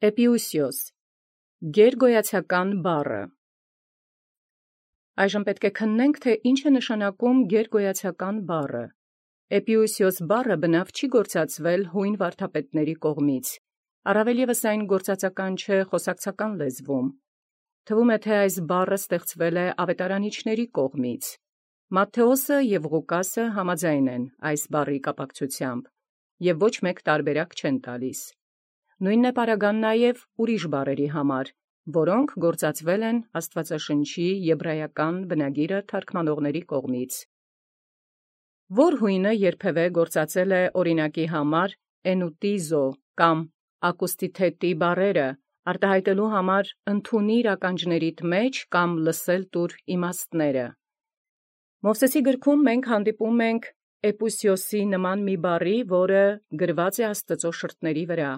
Էպիուսիոս գերգոյացական բառը։ Այժմ պետք է քննենք, թե ինչ է նշանակում գերգոյացական բառը։ Էպիուսիոս բառը բնավ չի գործածվել հույն վարդապետների կողմից, առավել ևս այն գործածական չէ խոսակցական լեզվում։ Թվում է, թե այս բառը ստեղծվել է ավետարանիչների կողմից։ Մատթեոսը և Ղուկասը համաձայն են այս բառի կապակցությամբ, և ոչ մեկ տարբերակ չեն տալիս։ Նույնն է պարագան նաև ուրիշ բառերի համար, որոնք գործածվել են Աստվածաշնչի եբրայական բնագիրը թարգմանողների կողմից։ Որ հույնը երբևէ գործածել է օրինակի համար էնուտիզո կամ ակուստիթետի բառերը, արտահայտելու համար ընդունիր ականջներիդ մեջ կամ լսել տուր իմաստները։ Մովսեսի գրքում մենք հանդիպում ենք էպուսիոսի նման մի բառի, որը գրված է Աստծո շրթների վրա.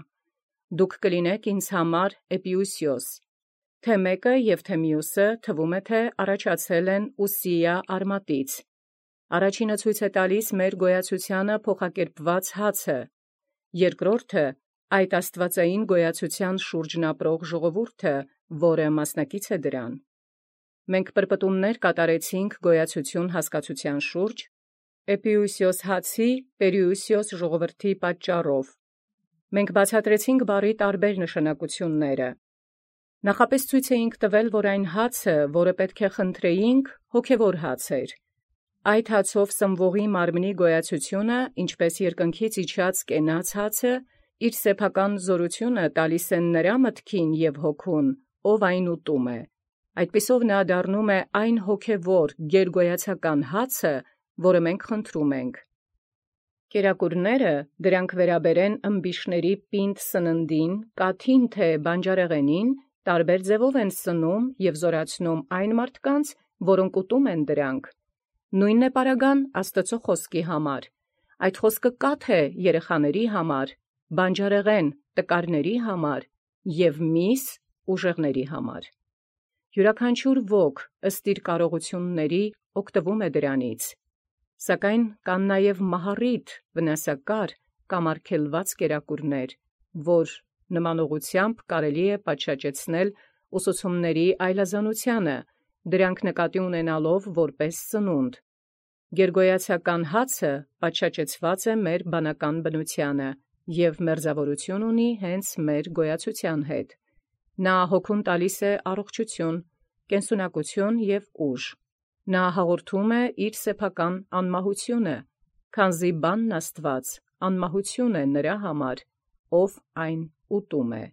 «Դուք կլինեք ինձ համար էպիուսիոս», թե մեկը և թե մյուսը թվում է, թե առաջացել են Ուսիա արմատից։ Առաջինը ցույց է տալիս մեր գոյացությանը փոխակերպված հացը, երկրորդը այդ աստվածային գոյացության շուրջն ապրող ժողովուրդը, որը մասնակից է դրան։ Մենք պրպտումներ կատարեցինք գոյացություն հասկացության շուրջ, էպիուսիոս հացի, պերիուսիոս ժողովրդի պատճառով։ Մենք բացատրեցինք բառի տարբեր նշանակությունները։ Նախապես ցույց էինք տվել, որ այն հացը, որը պետք է խնդրեինք, հոգևոր հաց էր։ Այդ հացով սնվողի մարմնի գոյացությունը, ինչպես երկնքից իջած կենաց հացը, իր սեփական զորությունը տալիս են նրա մտքին և հոգուն, ով այն ուտում է։ Այդպիսով նա դառնում է այն հոգևոր գերգոյացական հացը, որը մենք խնդրում ենք։ Կերակուրները, դրանք վերաբերեն ըմբիշների պինդ սննդին, կաթին թե բանջարեղենին, տարբեր ձևով են սնում և զորացնում այն մարդկանց, որոնք ուտում են դրանք։ Նույնն է պարագան Աստծո խոսքի համար։ Այդ խոսքը կաթ է երեխաների համար, բանջարեղեն տկարների համար և միս ուժեղների համար։ Յուրաքանչյուր ոք ըստ իր կարողությունների օգտվում է դրանից։ Սակայն կան նաև մահառիթ, վնասակար կամ արգելված կերակուրներ, որ նմանողությամբ կարելի է պատշաճեցնել ուսուցումների այլազանությանը, դրանք նկատի ունենալով որպես սնունդ։ Գերգոյացական հացը պատշաճեցված է մեր բանական բնությանը և մերձավորություն ունի հենց մեր գոյացության հետ։ Նա հոգուն տալիս է առողջություն, կենսունակություն և ուժ։ Նա հաղորդում է իր սեփական անմահությունը, քանզի բանն Աստված անմահություն է նրա համար, ով այն ուտում է։